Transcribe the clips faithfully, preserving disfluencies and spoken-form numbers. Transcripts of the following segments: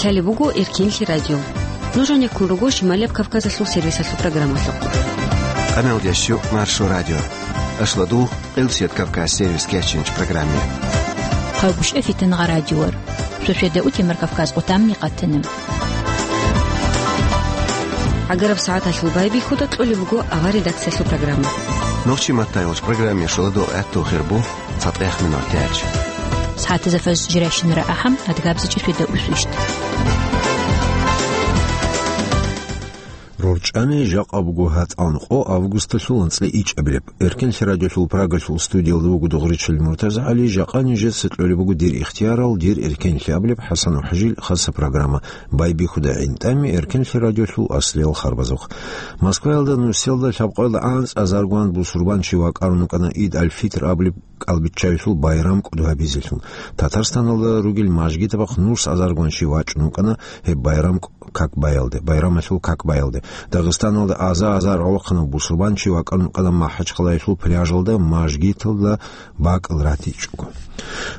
Гьале буго Эркенлъи радио. Нуж гьанеккун руго Шималияб Кавказалъул сервисалъул программалъухъ. Къаналдящу Маршо радио. Ашладу Къилсият Кавказ сервис кечинч программе. Хъавбушев Фитангъа радиор. Шошведа утемар Кавказ къутамни къатана. ГӀагараб сагӀаталъул байбихьуда кьолеб буго авар редакциялъул программа. Нохчи маттайолч программе шоладо гӀатту хирбу цатӀех минут тяч. СагӀатазафаз жиращинара ахӀам, адгабзичӀи шведа усвищт. РорчӀани жакъа буго гьатӀан къо августалъул анцӀила ичӀабилеб. Эркенлъи радиолъул Прагалъул студиялда вуго Дугъричил МуртазагӀали, жакъа нижеца кьолеб буго дир ихтиярал, дир эркенлъи абилеб ХӀасан ХӀажил хаса программа. Байбихьуда гӀинтӀами Эркенлъи радиолъул аслиял харбазухъ. Москваялда нусиялда лъабкъоялда анцӀазаргван бусурбанчи вакӀарун вукӀана Ид аль-Фитр абулеб кӀалбиччаялъул байрам кӀуду гьабизелъун. Татарстаналда ругел мажгитабахъ нус азаргван чи вачӀун вукӀана гьеб байрам как баялде, байрамалъул как баялде. Дагъистаналда аза-азар гӀолохъанав бусурбанчи вакӀарун вукӀана МахӀачхъалаялъул пляжалда мажгиталда бакӀал ратичӀого.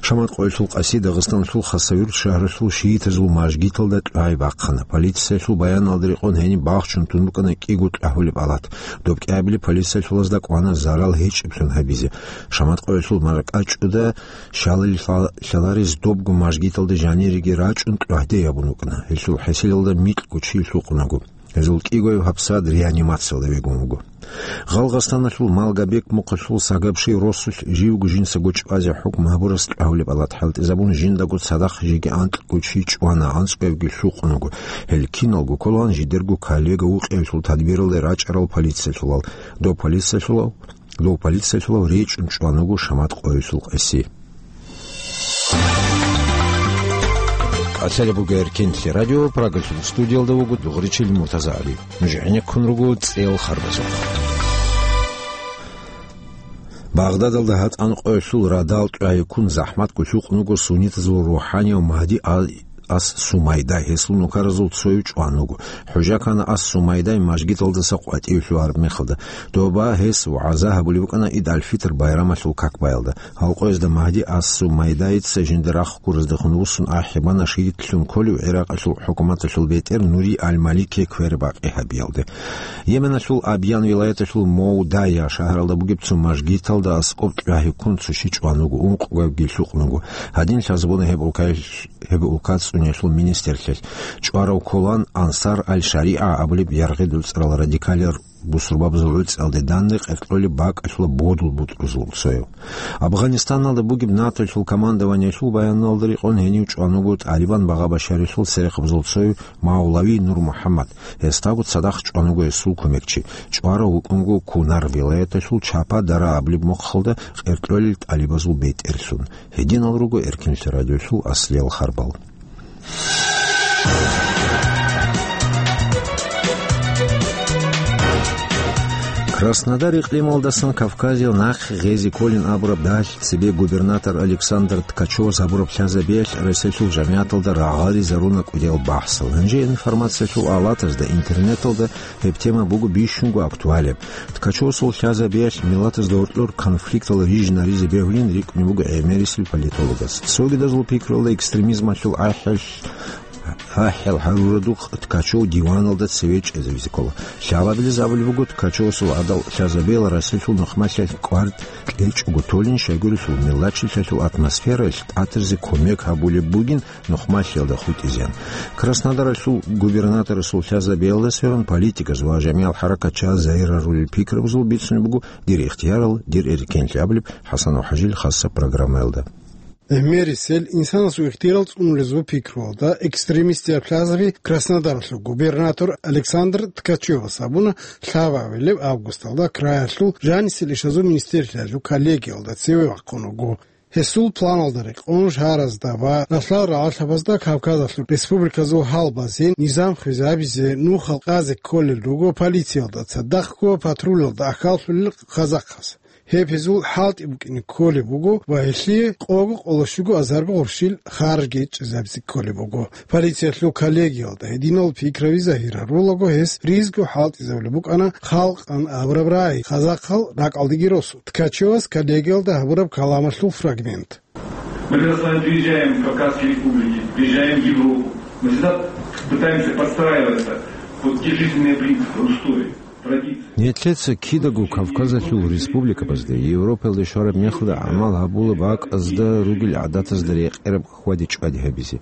Шаматкъоялъул къаси Дагъистаналъул Хасавюрт шагьаралъул шиитазул мажгиталда тӀагӀи бахъана. Полициялъул баяналда рекъон гьениб бахчун тун букӀана кӀиго тӀагьулеб алат. Доб кӀиабили полициялъулазда кӀвана зарал гьечӀеблъун гьабизе. Шаматкъоялъул маркӀачӀуда щалалилъа-, лъаларез добго мажгиталда жанириги рачӀун тӀагӀде ябун вукӀана. Гьелъул хӀесилалда микьго чи лъукъунаго. Гьезул кӀигояв гьабсагӀат реанимациялда вегун вуго. Гъалгъастаналъул Малгобек мухъалъул Сагабши росулъ живго жинцаго чӀвазе хӀукму гьабурас тӀагьулеб алат хӀалтӀизабун, жиндаго цадахъ жеги анкьго чи чӀвана, анцӀгоябги лъукъун вуго. Гьел киналго кколаан жидерго коллега вукъиялъул тадбиралде рачӀарал полициялъулал. Дов полициялъулав, дов полициялъулав речӀун чӀван вуго Шаматкъоялъул къаси. Къасалеб буго Эркенлъи радио, Прагалъул студиялда вуго Дугъричил МуртазагӀали. Нуж гӀенеккун руго цӀел харбазухъ. Багъдадалда гьатӀан къоялъул радал тӀагӀи ккун захӀматго лъукъун вуго суннитазул рухӀанияв Магьди а-, ас Сумайда, гьесул нукаразул цояв чӀван вуго. ХӀужа ккана ас Сумайдай мажгиталдаса къватӀивлъугьараб мехалда. Доба гьес вагӀза гьабулеб букӀана Ид аль-Фитр байрамалъул как баялда. Гьал къоязда Магьди ас Сумайдаица жинда рахъ гураздехун вуссун ахӀи бана шагьидлъун кколев ГӀиракъалъул хӀукуматалъул бетӀер Нури аль-Малике квербакъи гьабиялде. Йеменалъул Абьян вилаяталъул Мовдая шагьаралда бугеб цо мажгиталда аскӀоб тӀагӀи ккун цо чи чӀван вуго, ункъго гьебги лъукъун вуго. Гьадин лъазабуна гьеб улкаялъ-, гьеб улка цӀуниялъул министрлъиялъ. ЧӀварав кколаан Ансар аль-ШаригӀа абулеб яргъи дуцӀарал радикалиял бусурбабазул гӀуцӀиялде данде къеркьолеб бакӀалъула бодул бутӀрузул цояв. Афганистаналда бугеб НАТОлъул командованиялъул баяналда рекъон гьенив чӀван вуго ТӀалибан багъа Башарилъул церехъабазул цояв Мавлави Нур МухӀаммад. Гьесдаго цадахъ чӀван вуго гьесул кумекчи. ЧӀварав вукӀун вуго Кунар вилаяталъул Чапа Дара абулеб мухъалда къеркьолел тӀалибазул бетӀерлъун. Гьединал руго Эркенлъи радиолъул аслиял харбал. Краснодар икълималдасан Кавказил нахъе гъезе кколин абураб дагьалъ цебе губернатор Александр Ткачевас гьабураб лъазабиялъ Россиялъул жамигӀаталда рагъаризаруна кӀудиял бахӀсал. Гьанже информациялъул алатазда, интернеталда гьеб тема буго бищунго актуалеб. Ткачевасул лъазабиялъ миллатазда гьоркьор конфликтал рижинаризе бегьулин рикӀкӀунеб буго гӀемерисел политологас. Цогидазул пикралда экстремизмалъул ахӀи-, ахӀи гьарурадухъ Ткачев диваналда цеве чӀезавизе ккола. Лъабабилез абулеб буго, Ткачевасул гӀадал лъазабиял Россиялъул нухмалъиялъ кӀвар кьечӀого толин, щайгурелъул миллатчилъиялъул атмосфераялъ тӀатаризе кумек гьабулеб бугин, нухмалъиялда хутӀизеян. Краснодаралъул губернаторасул лъазабиялда сверун политиказ ва жамигӀал хӀаракат чагӀаз загьирарулел пикрабазул бицунеб буго «Дир ихтиярал, дир эркенлъи» абулеб ХӀасан ХӀажил хасаб программаялда. Гьемерисел инсанасул ихтияр цӀунулезул пикруялда экстремистияб лъазаби Краснодаралъул губернатор Александр Ткачевас абуна лъабабилеб августалда краялъул жанисел ишазул министрлъиялъул коллегиялда цеве вахъун вуго. Гьесул планалда рекъон шагьаразда ва ралъдал рагӀалъабазда Кавказалъул республиказул гьал базен низам хвезабизе нухал къазе кколел руго полициялда цадахъго патрулалда ахьаллъулел казахъаз. Гьеб гьезул хӀалтӀи букӀине кколеб буго ва гьелъие къого къоло щуго азарго гъурщил харжги чӀезабизе кколеб буго. Полициялъул коллегиялда гьединал пикраби загьирарулаго гьес ризго хӀалтӀизабулеб букӀана халкъан абураб рагӀи, казахъал ракӀалдеги росу. Ткачевас коллегиялда гьабураб каламалъул фрагмент. Мы, когда с вами приезжаем в Кавказские республики, приезжаем в Европу, Мы всегда пытаемся подстраиваться под те жизненные принципы, устои, традиции. Нилъеца кидаго Кавказалъул республикабазда, Европаялде щвараб мехалда гӀамал гьабула бакӀазда ругел гӀадатазда рекъараб хьвада-чӀвади гьабизе.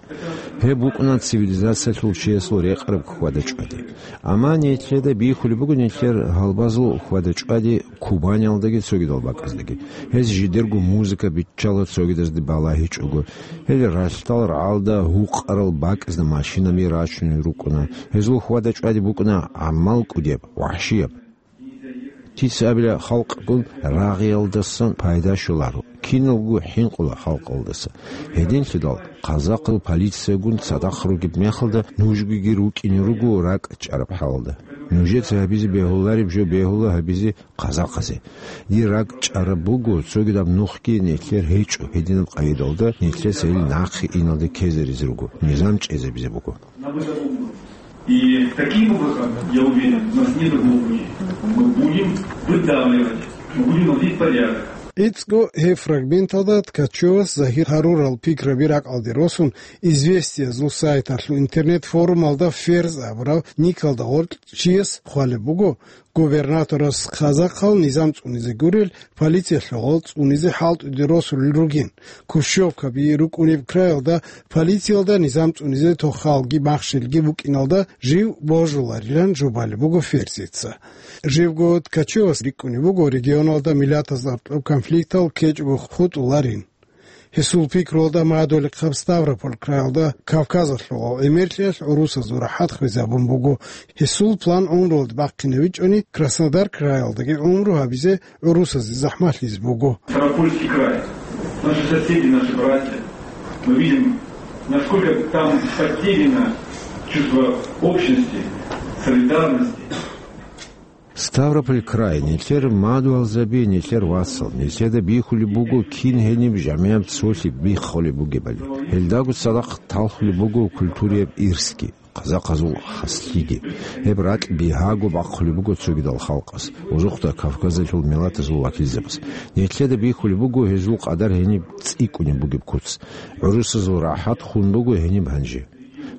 Гьеб букӀуна цивилизациялъул чиясул рекъараб хьвада-чӀвади. Амма нилъеда бихьулеб буго нилъер гьалбазул хьвада-чӀвади Кубаниялдаги цогидал бакӀаздаги. Гьез жидерго музыка биччала цогидазда балагьичӀого. Гьел ралъдал рагӀалда гьукъарал бакӀазда машинаби рачунел рукӀуна. Гьезул хьвада-чӀвади букӀуна гӀаммал кӀудияб, вагьшияб. Кица абила халкъгун рагъиялдасан пайда щоларо. Киналго хӀинкъула халкъалдаса. Гьединлъидал, казахъал полициягун цадахъ ругеб мехалда нужгиги рукӀине руго ракӀ чӀараб хӀалалда. Нужеца гьабизе бегьулареб жо бегьула гьабизе казахъазе. Дир ракӀ чӀараб буго, цогидаб нухги нилъер гьечӀо, гьединаб къайдалда нилъеца ил нахъе иналде ккезаризе руго, низам чӀезабизе буго. И таким образом, я уверен, у нас нет другого пути. Мы будем выдавливать, мы будем наводить порядок. ГӀицӀго гьеб фрагменталда Ткачевас загьир гьарурал пикраби ракӀалде росун, Известиязул сайталъул интернет-форумалда Ферз абурав никалда гъоркь чияс хъвалеб буго, губернаторас казахъал низам цӀунизе гурел, полициялъул гъол цӀунизе хӀалтӀуде росулел ругин. Кущевкаби рукӀунеб краялда полициялда низам цӀунизе тохалги махщелги букӀиналда жив божуларилан жубалеб буго Ферзица. Живго Ткачевас рикӀкӀунеб буго регионалда миллатаз аркьоб конфликтал ккечӀого хутӀуларин. Гьесул пикруялда мадулихъаб Ставрополь краялда Кавказалъул гӀемерлъиялъ гӀурусазул рахӀат хвезабун буго. Гьесул план гӀумруялда бахъинавичӀони, Краснодар краялдаги гӀумру гьабизе гӀурусазе захӀмалъизе буго. Ставропольский край. Наши соседи, наши братья. Мы видим, насколько там потеряно чувство общности, солидарности. Ставрополь край, нилъер мадугьалзаби, нилъер вацал, нилъеда бихьулеб буго кин гьениб жамигӀаб цолъи биххулеб бугебали. Гьелдаго цадахъ талхулеб буго культурияб ирсги, казахъазул хаслъиги. Гьеб ракь бигьаго бахъулеб буго цогидал халкъас, узухъда Кавказалъул миллатазул вакилзабаз. Нилъеда бихьулеб буго гьезул къадар гьениб цӀикӀкӀунеб бугеб куц. ГӀурусазул рахӀат хун буго гьениб гьанже.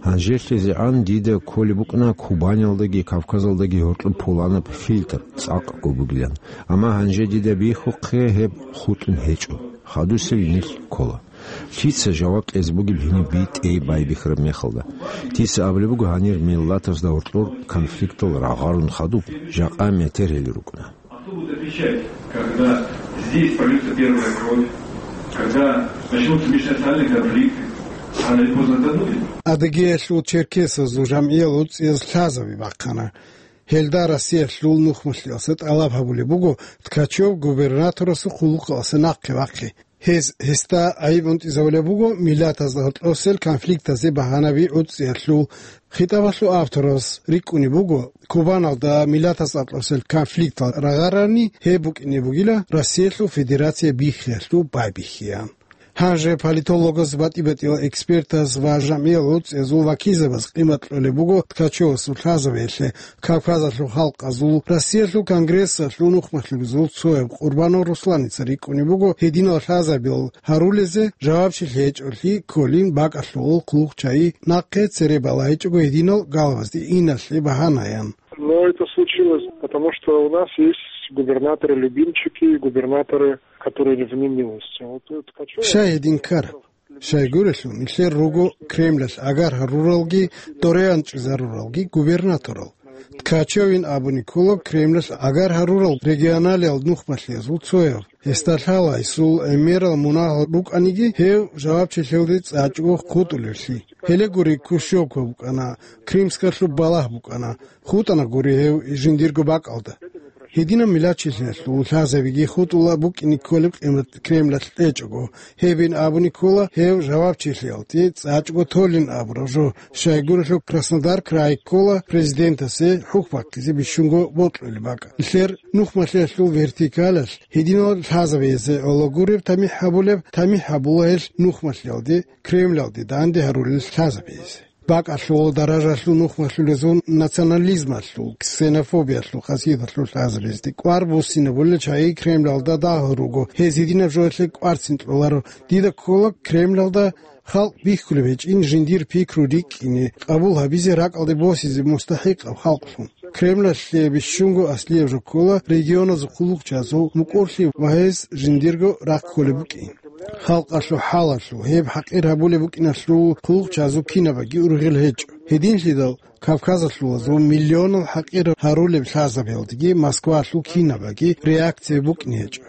ГьанжелъизегӀан дида кколеб букӀна Кубаниялдаги Кавказалдаги гьоркьоб пуланаб фильтр цӀакъго бугилан. Амма гьанже дида бихьухъе гьеб хутӀун гьечӀо. Хадусел нилъ ккола. Лъица жаваб кьезе бугеб гьениб битӀей байбихьараб мехалда? Дица абулеб буго гьанир миллатазда гьоркьор конфликтал рагъарун хадуб, жакъа метер гьел рукӀуна. А кто будет отвечать, когда здесь прольется первая кровь, когда начнутся межнациональные конфликты? Рано или поздно это будет. Адыгеялъул черкесазул жамгӀиял гӀуцӀиялъ лъазаби бахъана. Гьелда Россиялъул нухмалъиялъе тӀалаб гьабулеб буго Ткачев губернаторасул хъулухъалъе нахъе вахъине. Гьез гьесда гӀайиб унтӀизабулеб буго миллатазда гьоркьосел конфликтазе багьанаби гӀуцӀиялъул. ХитӀабалъул авторас рикӀкӀунеб буго, Кубаналда миллатаз аркьосел конфликтал рагъарани гьеб букӀине бугила Россиялъул Федерация биххиялъул байбихьиян. Гьанже политологаз, батӀи-батӀиял экспертаз ва жамгӀиял гӀуцӀиязул вакилзабаз къимат кьолеб буго Ткачевасул лъазабиялъе. Кавказалъул халкъазул Россиялъул конгрессалъул нухмалъулезул цояб Къурбанов Русланица рикӀкӀунеб буго, гьединал лъазабиял гьарулезе жавабчилъи гьечӀолъи кколин бакӀалъул хъулухъчагӀи нахъе цере балагьичӀого гьединал галвазде иналъе багьанаян. Но это случилось, потому что у нас есть губернаторы-любимчики, губернаторы, которые не в немилости. Вот, вот хочу... Щай гьедин ккараб? Щайгурелъул, нилъер руго Кремлалъ агар гьаруралги дорегӀан чӀезаруралги губернаторал. Ткачевин абуни ккола Кремлалъ агар гьарурал регионалиял нухмалъиязул цояв. Гьесда лъала гьесул гӀемерал мунагьал рукӀаниги, гьев жавабчилъиялде цӀачӀого хутӀулевлъи. Гьеле гури, Кущевка букӀана, Кримскалъуб балагь букӀана, хутӀана гури гьев жиндирго бакӀалда. Гьединаб миллатчилъиялъул лъазабиги хутӀула букӀине кколеб къимат Кремлалъ кьечӀого. Гьебин абуни ккола гьев жавабчилъиялде цӀачӀого толин абураб жо. Щайгурелъул Краснодар край ккола президентасе хӀухь баккизе бищунго бокьулеб бакӀ. Нилъер нухмалъиялъул вертикалалъ гьединал лъазабизе гӀоло гуреб тамихӀ гьабулеб, тамихӀ гьабула гьелъ нухмалъиялде, Кремлалде данде гьарулел лъазабизе. БакӀалъул даражалъул нухмалъулезул национализмалъул, ксенофобиялъул хасияталъул лъазабизде кӀвар буссинабулел чагӀи Кремлалда дагьал руго, гьез гьединаб жоялъе кӀварцин кьоларо. Дида ккола Кремлалда халкъ бихьулеб гьечӀин жиндир пикру рикӀкӀине, къабул гьабизе, ракӀалде босизе мустахӀикъаб халкълъун. Кремлалъе бищунго аслияб жо ккола регионазул хъулухъчазул мукӀурлъи ва гьез жиндирго рахъ кколеб букӀин. Халкъалъул хӀалалъул, гьеб хӀакъир гьабулеб букӀиналъул хъулухъчазул кинабаги ургъел гьечӀо. Гьединлъидал Кавказалъулазул миллионал хӀакъир гьарулеб лъазабиялдеги Москвалъул кинабаги реакция букӀине гьечӀо.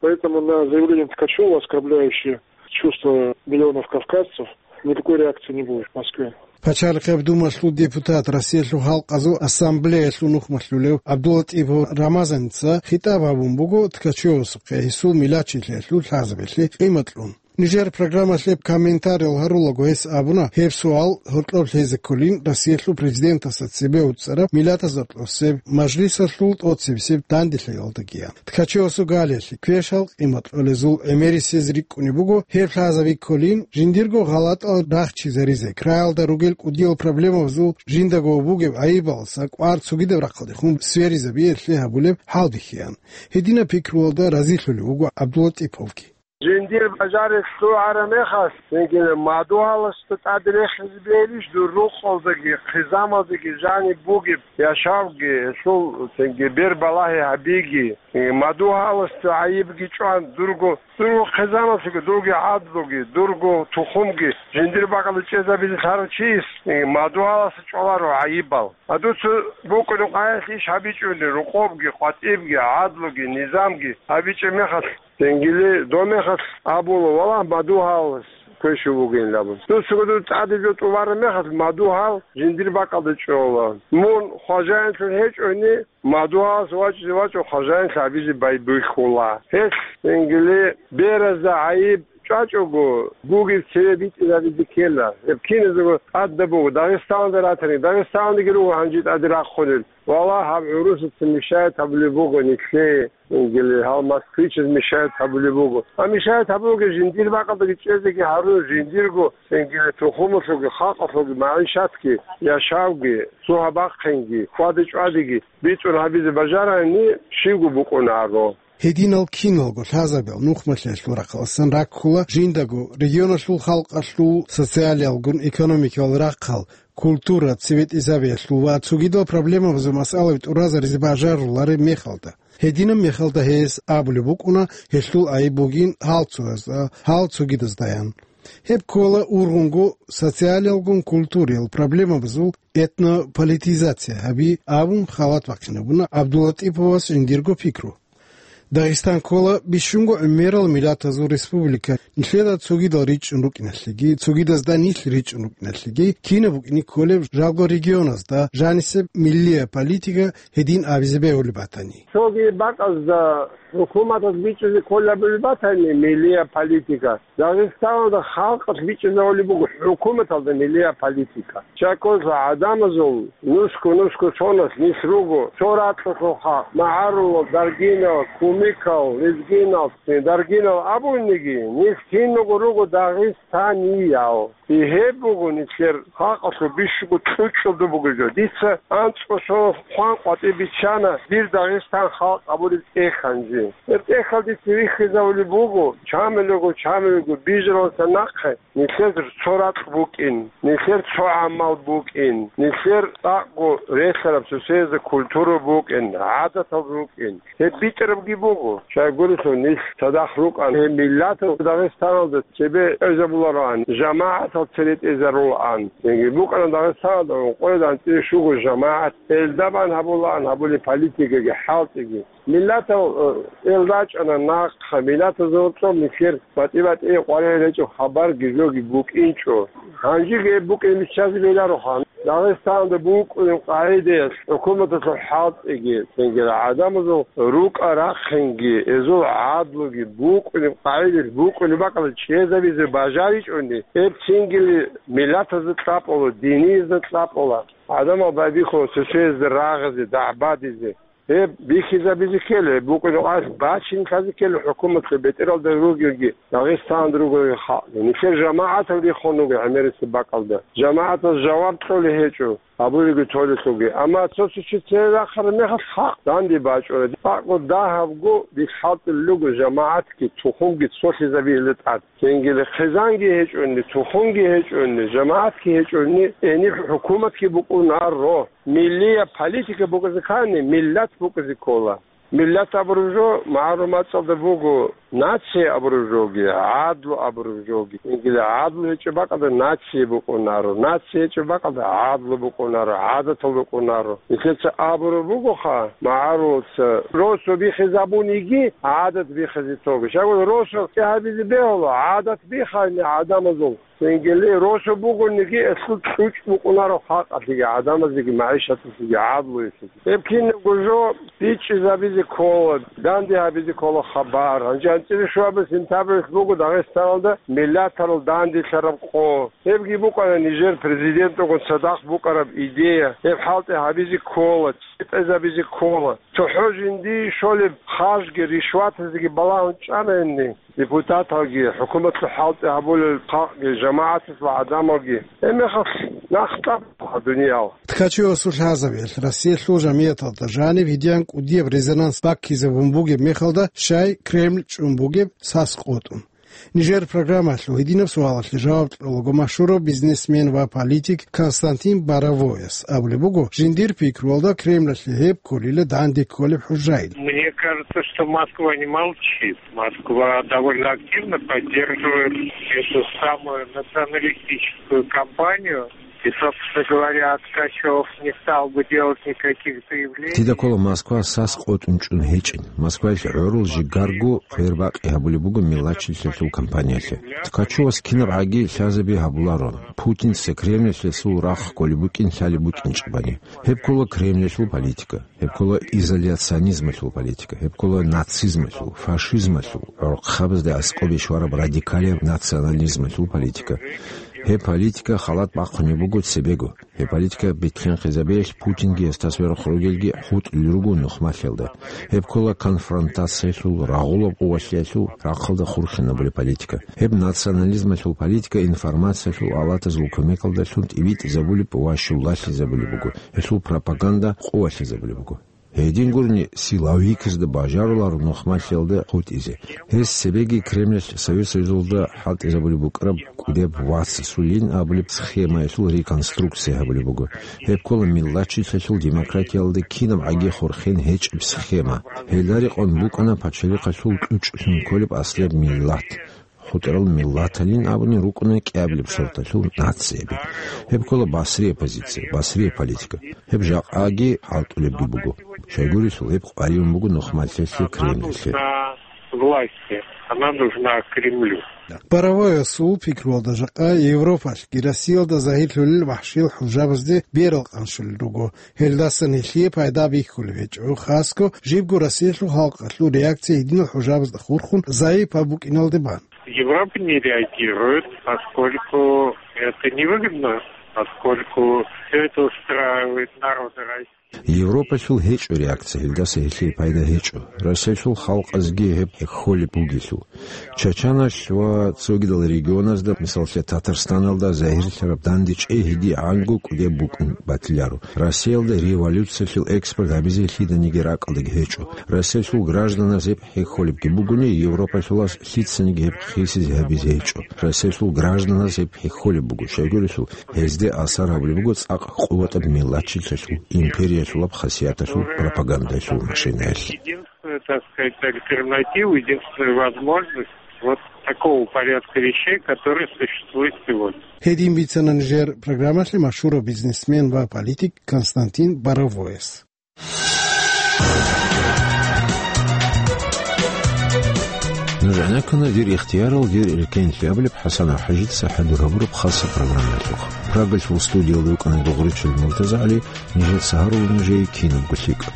Поэтому на заявление Ткачева, оскорбляющее чувства миллионов кавказцев, никакой реакции не будет в Москве. Пачалихъаб Думалъул депутат, Россиялъул халкъазул ассамблеялъул нухмалъулев ГӀабдуллатӀипов Рамазаница хитӀаб гьабун буго Ткачевасухъе гьесул милачилъиялъул лъазабилъи къимат кьун. Нижер программалъе комментариял гьарулаго гьес абуна, гьеб суал гьоркьоб лъезе кколин Россиялъул президентасда цебе уцӀцӀараб Миллатазул Гьоркьосеб Мажлисалъул тӀоцебесеб данделъиялдагиян. Ткачевасул галиялъе квешал къимат кьолезул гӀемерисез рикӀкӀунеб буго гьеб лъазаби кколин, жиндирго гъалатӀал рахчизаризе, краялда ругел кӀудиял проблемабазул жиндаго бугеб гӀайибаласа кӀвар цогидаб рахъалдехун сверизабиялъе гьабулеб хӀалбихьиян. Гьединаб пикруялда разилъулев вуго ГӀабдуллатӀиповги. Жиндир бажарилъ лъугӀараб мехалъ, цинги мадугьаласда тӀад рехизе бегьилищ дур рукъалдаги, хъизамалдаги жаниб бугеб яшавги, гьелъул цинги бер балагьи гьабиги, э, мадугьаласда гӀайибги чӀван, дурго, дурго хъизамалъги, дурги гӀадлуги, дурго тухумги жиндир бакӀалда чӀезабизе лъарав чияс, э, мадугьаласда чӀваларо гӀайибал. А дуца букӀунеб къагӀиялъ иш гьабичӀони, рокъобги, къватӀибги, гӀадлуги, низамги гьабичӀеб мехалъ, Тенгили дов мехалъ абула, валлагь, мадугьалас квешав вугин абун. Дуца гьудул тӀаде жо тӀубараб мехалъ, мадугьал жиндир бакӀалда чӀола. Мун хважаинлъун гьечӀони, мадугьалас вачӀизе вачӀун хважаинлъи гьабизе байбихьула. Гьелъ тенгили беразда гӀайиб чӀвачӀого, бугеб цеве битӀизабизе ккела. Гьеб киназего тӀадаб буго, Дагъистаналда ратани, Дагъистаналдаги руго гьанже тӀаде рахъунел. Валлагь, гьаб гӀурусаца мешает гьабулеб буго нилъее. Ингили гьал москвичаз мешает гьабулеб буго. А мешает гьабулеб жиндир бакӀалдаги чӀезеги гьарун, жиндирго, ингили тухумалъулги, халкъалъулги, магӀишатги, яшавги, цо гьабахъинги, хьвада-чӀвадиги бицун гьабизе бажарани, щивго букӀунаро. Гьединал киналго лъазабиял нухмалъиялъул рахъалъан раккула жиндаго регионалъул халкъалъул социалиялгун экономикиял рахъал, культура, цеветӀизабиялъул ва цогидал проблемабазул масъалаби тӀуразаризе бажарулареб мехалда. Гьединаб мехалда гьес абулеб букӀуна гьелъул айиб бугин гьал цоязда, гьал цогидаздаян. Гьеб ккола ургъунго социалиялгун культуриял проблемабазул этнополитизация гьаби абун халат бахъинабуна ГӀабдуллатӀиповас жиндирго пикру. Дагъистан ккола бищунго гӀемерал миллатазул республика, нилъеда цогидал ричӀчӀун рукӀиналъеги, цогидазда нилъ ричӀчӀун рукӀиналъеги, кинаб букӀине кколеб жалго регионазда жанисеб миллия политика гьедин абизе бегьулеб батани. Цоги бакӀазда хӀукуматалъ бичӀчӀизе кколеб батани миллия политика, Дагъистаналда халкъалъ бичӀчӀизавулеб буго хӀукуматалда миллия политика. Чакъуса гӀадамазул нусго-нусго соналъ нилъ руго, цо ракьалъухъа магӀарулал, даргинал, кумекал, лезгинал, даргинал абуниги, нилъ киналго руго дагъистаниял. И гьеб буго нилъер халкъалъул бищунго кьучӀалда бугеб жо. Дица анцӀго соналъ хъван къватӀибе биччана дир Дагъистан халкъ абураб тӀехь гьанже. Гьеб тӀехьалде дица вихьизавулеб буго, чамилего, чамилего бижаралдаса нахъе. Нилъер цо ракь букӀин, нилъер цо гӀамал букӀин, нилъер цӀакъго релълъараб сосиязда культура букӀин, гӀадатал рукӀин. Гьеб битӀарабги буго. Щайгурелъул нилъ цадахъ рукӀан, гьеб миллатал Дагъистаналда цебе тӀезабулароан, жамагӀатал цере тӀезарулаан. Яги букӀана Дагъистаналда ункъоялда анцӀила щуго жамагӀат, элда бан гьабулаан гьабулеб политикаги хӀалтӀиги. Миллатал, э, эл рачӀана нахъа, миллатазул цӀоб нилъер батӀи-батӀи къваригӀел гьечӀеб хабарги жоги букӀинчӀо. Гьанжеги гьеб букӀин биччазе белароха. Дагъистаналда букӀунеб къагӀидаялъ хӀукуматалъул хӀалтӀиги, цинги гӀадамазул рукӀа-рахъинги, гьезул гӀадлуги букӀунеб къагӀидаялъ букӀунеб бакӀалда чӀезабизе бажаричӀони, гьеб цингили миллатазда кьабула, динизда кьабула, гӀадамал байбихьула сосиязда рагъизе, дагӀбадизе. Гьеб бихьизабизе ккела, гьеб букӀине гьес бачинлъазе ккела хӀукуматалъе, бетӀералда ругелги, Дагъистан ругел халкъ. Нилъер жамагӀатал рихун руго гӀемерисеб бакӀалда. ЖамагӀатал жаваб кьолей гьечӀо, абулебги толелъулги. Амма цо-цо чи цере рахъараб мехалъ халкъ данде бачӀуна. ЦӀакъго дагьабго бихьалтӀулел руго жамагӀатги, тухумги цолъизабиялда тӀад. Цинги хъизанги гьечӀони, тухумги гьечӀони, жамагӀатги гьечӀони, гьениб хӀукуматги букӀунаро. Миллияб политика букӀизе ккани, миллат букӀизе ккола. Миллат абураб жо магӀарул мацӀалда буго, нация абураб жоги, гӀадлу абураб жоги. Цинги гӀадлу гьечӀеб бакӀалда нация букӀунаро, нация гьечӀеб бакӀалда гӀадлу букӀунаро, гӀадатал букӀунаро. Нилъеца абураб бугоха, магӀарулца, росу бихизабуниги, гӀадат бихизе тоги. Щайгурелъул росу гьабизе бегьула, гӀадат бихайни гӀадамазул. Цинги росу бугониги, гьелъул кьучӀ букӀунаро халкъалъеги, гӀадамазеги, магӀишаталъеги, гӀадлуялъеги. Гьеб кинабго жо бичӀчӀизабизе ккола, данде гьабизе ккола хабар. Гьанже анцӀила щуабилеб сентябрьалъ буго Дагъистаналда миллатарал данделъараб къо. Гьебги букӀана нижер президенталгун цадахъ букӀараб идея. Гьеб хӀалтӀи гьабизе ккола, цӀикӀкӀинабизе ккола. ЦохӀо жиндие щолеб харжги, ришватазеги балагьун чӀанани, депутаталги, хӀукуматалъул хӀалтӀи гьабулел халкъги, жамагӀаталъул гӀадамалги, гьеб мехалъ нахъ тӀад буго дуниял. Ткачевасул лъазабиялъ Россиялъул жамигӀаталда жаниб гьедин кӀудияб резонанс баккизабун бугеб мехалда, щай Кремль чӀун бугеб сас къотӀун? Нижер программалъул гьединаб суалалъе жаваб кьолаго машгьурав бизнесмен ва политик Константин Боровояс. Абулеб буго, жиндир пикруялда Кремлалъе гьеб кколила данде кколеб хӀужаил. Мне кажется, что Москва не молчит. Москва довольно активно поддерживает эту самую националистическую кампанию. И, собственно говоря, Ткачев не стал бы делать никаких заявлений. Дида ккола Москва сас къотӀун чӀун гьечӀин. Москваялъ гӀурул жигарго хъвер-бакъи гьабулеб буго миллатчилъиялъул кампаниялъе. Ткачевас кинаб гӀаги лъазаби гьабуларо. Путинца Кремлалъе гьесул рахъ кколеб букӀин лъалеб букӀинчӀебани. Гьеб ккола Кремлалъул политика. Гьеб ккола изоляционизмалъул политика, гьеб ккола нацизмалъул, фашизмалъул, гӀурхъабазда аскӀобе щвараб радикалияб национализмалъул политика. Гьеб политика халат бахъунеб буго цебего. Гьеб политика бихьинхъизабиялъ Путинги гьесда сверухъ ругелги хутӀулел руго нухмалъиялда. Гьеб ккола конфронтациялъул, рагъулаб къувалъиялъул рахъалда хурхинабулеб политика. Гьеб национализмалъул политика информациялъул алатазул кумекалдалъун тӀибитӀизабулеб ва щулалъизабулеб буго. Гьелъул пропаганда къувалъизабулеб буго. Гьедин гурони, силовиказда бажаруларо нухмалъиялда хутӀизе. Гьес цебеги Кремлалъ Совет Союзалда хӀалтӀизабулеб букӀараб кӀудеб вацасулин абулеб схемаялъул реконструкция гьабулеб буго. Гьеб ккола миллатчилъиялъул демократиялда кинаб гӀаги хурхен гьечӀеб схема. Гьелда рекъон букӀана пачалихъалъул кьучӀлъун кколеб аслияб миллат. ХутӀарал миллаталин абуни рукӀуна кӀиабилеб сорталъул нацияби. Гьеб ккола Басрия позиция, Басрия политика. Гьеб жакъаги хӀалтӀулебги буго. Щайгурелъул гьеб къваригӀун буго нухмалъиялъе Кремльлъи. Власти. Она нужна Кремлю. Боровоясул пикруялда жакъа Европалъги Россиялда загьирлъулел вахӀшиял хӀужабазде берал къанщулел руго. Гьелдасан гьелъие пайда бихьулеб гьечӀо, хасго жибго Россиялъул халкъалъул реакция гьединал хӀужабазда хурхун заифаб букӀиналде бан. Европа не реагирует, поскольку это невыгодно, поскольку всё это устраивает народы России. Европалъул гьечӀо реакция, гьелдаса гьелъие пайда гьечӀо. Россиялъул халкъазги гьеб хӀехьолеб бугелъул. Чачаналъ ва цогидал регионазда, мисаллъе, Татарстаналда загьирлъараб данде чӀей гьедигӀанго кӀудеб букӀун батиларо. Россиялда революциялъул экспорт гьабизе лъиданиги ракӀалдаги гьечӀо. Россиялъул гражданаз гьеб хӀехьолебги бугони, Европалъулас лъицаниги гьеб хисизе гьабизе гьечӀо. Россиялъул гражданаз гьеб хӀехьолеб буго, щайгурелъул гьезде асар гьабулеб буго цӀакъ къуватаб миллатчилъиялъул, империялъулаб хасияталъул, пропагандаялъул машинаялъ. Единственная, так сказать, альтернатива, единственная возможность вот такого порядка вещей, который существует сегодня. Гьедин бицана нижер программалъе машгьурав бизнесмен ва политик Константин Боровояс. Нуж гӀенеккуна «Дир ихтиярал, дир рекенлъи» абулеб ХӀасан ХӀажица хӀадур гьабураб хасаб программаялъухъ. Прагалъул студиялда вукӀана Дугъричил МуртазагӀали, нижеца гьарула нужее кинабго лъикӀаб.